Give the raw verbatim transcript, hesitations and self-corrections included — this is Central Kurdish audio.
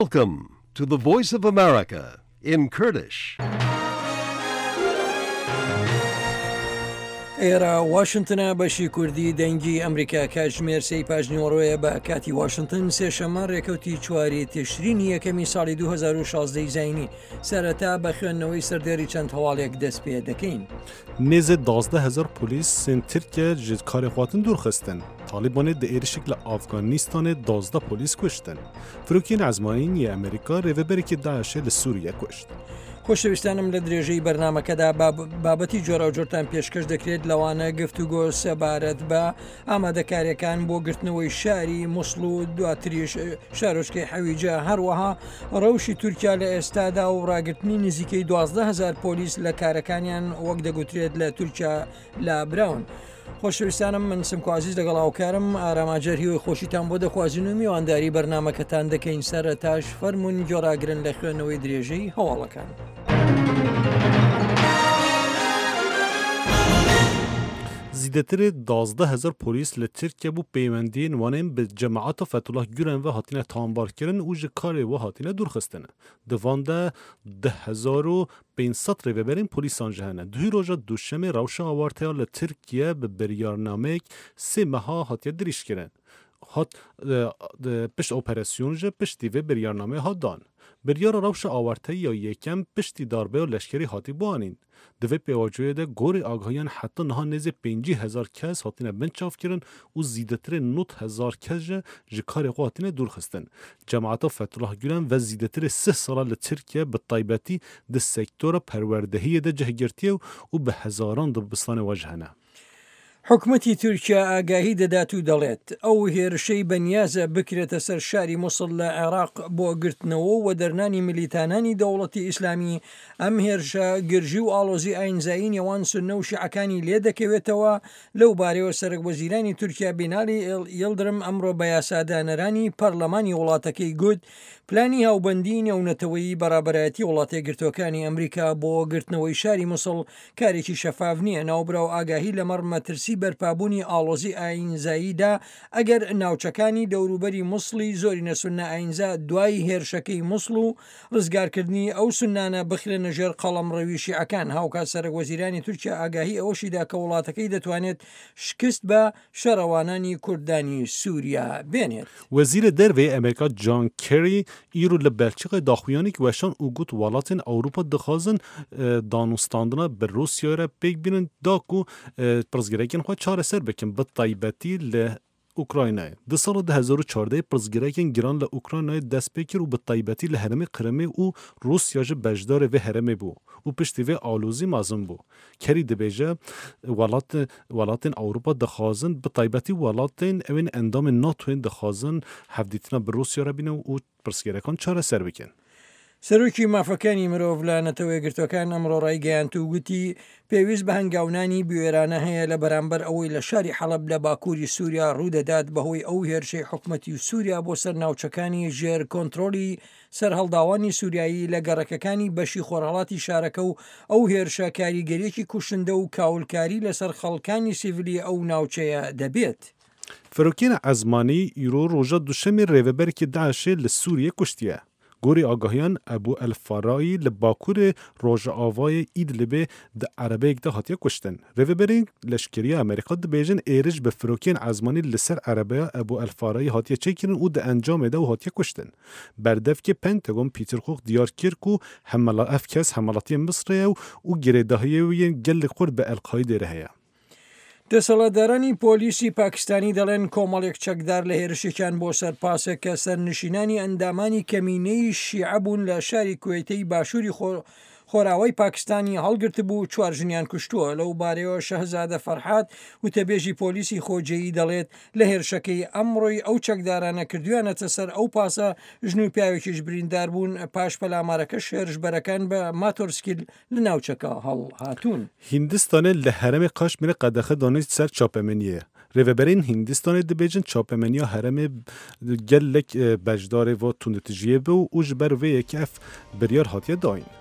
Welcome to the Voice of America in Kurdish. ئێرە واشنتنە، بەشی کوردی دەنگی ئەمریکا. کاتژمێر سێی پاش نیوەڕۆیە بە کاتی واشنتن، سێشەممە ڕێکەوتی چواری تشرینی یەکەمی ساڵی دوو هەزار و شازدە زایینی. سەرەتا بە خوێندنەوەی سەردێری چەند هەواڵێک دەست پێ دەکەین. Nêzê duwazdeh hezar polîsên Tirkiye ji karê xwe hatin dûrxistin. Talîbanê di êrişek li Afganistanê duwazdeh polîs kuştin. Firokên ezmanî yê Amerîka rêveberekî DAIŞê li Sûriye kuşt. خۆشەویستانم، لە درێژەی بەرنامەکەدا بابەتی جۆراوجۆرتان پێشکەش دەکرێت، لەوانە گفتوگۆ سەبارەت بە ئامادەکاریەکان بۆ گرتنەوەی شاری موسڵ و دواتریش شارۆچکەی حەویجە، هەروەها ڕەوشی تورکیا لە ئێستادا و ڕاگرتنی نزیکەی دوازدە هەزار پۆلیس لە کارەکانیان، وەک دەگوترێت لە تورکیا لابراون. خۆشەویستانم، من سمکۆ عەزیز لەگەڵ هاوکارم ئارام ئاجەر هیوای خۆشیتان بۆ دەخوازین و میوانداری بەرنامەکەتان دەکەین. سەرەتاش فەرمونون گوێڕاگرن لە خوێندنەوەی درێژەی هەواڵەکان. Zêdetirê duwazdeh hezar polîs li Tirkiye bû peywendiyên wan ên bi cemaeta Fethullah Gülen ve hatine tawanbarkirin û ji karê we hatine dûrxistin. Di van de deh hezar û pênc sed rêveberên polîsan jî hene. Duhî roja duşemê rewşa awarteya li Tirkiye bi biryarnameyek sê meha hatiye dirêjkirin. Hat pişt operasyon ji piştî vê biryarnameyê hat dan. Biryara rewşa awarteyî ya yekem piştî darbeya leşkerî hatî bianîn. Di vê pêvajoyê de gorî agahiyan heta niha nêzê pêncî hezar kes hatine binçavkirin û zêdetirê nod hezar kes jî ji karê xwe hatine dûrxistin. Cemaeta Fethullah Gülen ve zêdetirê sih sala li Tirkiye bi taybetî di sektora perwerdehiyê de cih girtiye û bi hezaran dibistanê we jî hene. حکومەتی تورکیا ئاگاهی دەدات و دەڵێت ئەو هێرشەی بەنیازە بکرێتە سەر شاری موسڵ لە عێراق بۆ گرتنەوە و دەرنانی ملیتانانی دەوڵەتی ئیسلامی، ئەم هێرشە گرژی و ئاڵۆزی ئاینزایی نێوان سوننە و شیعەکانی لێ دەکەوێتەوە. لەو بارەیەوە سەرەک وەزیرانی تورکیا بینالی یڵدرم ئەمڕۆ بە یاسادانەرانی پەرلەمانی وڵاتەکەی گوت پلانی هاوبەندی نێونەتەوەیی بە ڕابەرایەتی وڵاتە یەکگرتووەکانی ئەمریکا بۆ گرتنەوەی شاری موسڵ کارێکی شەفاف نییە. ناوبراو ئاگاهی لەمەڕ مەترسی بەرپابوونی ئاڵۆزی ئاینزاییدا ئەگەر ناوچەکانی دەوروبەری موسڵی زۆرینە سوننە ئاینزا دوای هێرشەکەی موسڵ و ڕزگارکردنی ئەو سوننانە بخرێنە ژێر قەڵەمڕەوی شیعەکان. هاوکات سەرەک وەزیرانی تورکیا ئاگاهی ئەوەشیدا کە وڵاتەکەی دەتوانێت شکست بە شەڕەوانانی کوردانی سووریا بێنێت. Wezîrê Derve yê Amerîka John Kerry îro li Belçîkayê daxuyaniyek weşand û got welatên Ewropa dixwazin danûstandina bi Rûsyayê re pêk bînin da ku pirsgirêkên xwe çareser bikin, bi taybetî li Ukraynayê. Di sala du hezar û çardehê pirsgirêkên giran li Ukraynayê dest pê kir û bi taybetî li herêmê Qrimê û Rûsya jî beşdarê vê herêmê bû û piştî vê alozî mezin bû. Kerry dibêje welat welatên Ewropa dixwazin, bi taybetî welatên ew ên endamên NATOyê dixwazin hevdîtina bi Rûsya re bînin û pirsgirêkan çareser bikin. سەرۆکی مافەکانی مرۆڤ لە نەتەوە یەکگرتووەکان ئەمڕۆ ڕایگەیاند و گوتی پێویست بە هەنگاونانی بوێرانە هەیە لە بەرامبەر ئەوەی لە شاری حەڵەب لە باکووری سووریا ڕوودەدات بەهۆی ئەو هێرشەی حکومەتی سووریا بۆ سەر ناوچەکانی ژێر کۆنترۆڵی سەرهەڵداوانی سووریایی لە گەڕەکەکانی بەشی خۆرهەڵاتی شارەکە و ئەو هێرشە کاریگەریەکی کوشندە و کاولکاری لەسەر خەڵکانی سیڤیلی ئەو ناوچەیە دەبێت. Firokên ezmanî îro roja duşemê rêveberekî DAIŞê li Sûriyê kuştiye. Gorî agahiyan Ebû El Farayî li bakurê Rojavayê Idlibê di erebeyek de hatiye kuştin. Rêveberên leşkeriya Amerîka dibêjin êriş bi firokên ezmanî li ser erebeya Ebû El Farayî hatiye çêkirin û di encamê de ew hatiye kuştin. Berdevkê Pentagon Peter Cook diyar kir ku hemela ev kes hemwelatiyê Misrê ye û girêdahiyê wî yên gelek xurt bi El Qaîdê re heye. دەسەڵاتدارانی پۆلیسی پاکستانی دەڵێن کۆمەڵێک چەکدار لە هێرشێکیان بۆ سەر پاسێک کە سەرنشینانی ئەندامانی کەمینەی شیعە بوون لە شاری کوێتەی باشووری خۆراوای پاکستانی هەڵگرتبوو، چوار ژنیان کوشتووە. لەو بارەیەوە شەهزادە فەرحات وتەبێژی پۆلیسی خۆجێیی دەڵێت لە هێرشەکەی ئەمڕۆی ئەو چەکدارانە کردویانەتە سەر ئەو پاسە، ژن و پیاوێکیش بریندار بوون. پاش پەلامارەکە هێرشبەرەکان بە ماتۆرسکیل لە ناوچەکە هەڵهاتوون. Hindistanê li herêmê Kaşmîrê qedexe danî ser çapemeniyê. Rêveberên Hindistanê dibêjin çapemeniya herêmê gelek beşdarê va tundûtûjiyê bû û ji ber vê yekê ev biryar hatiye dayîn.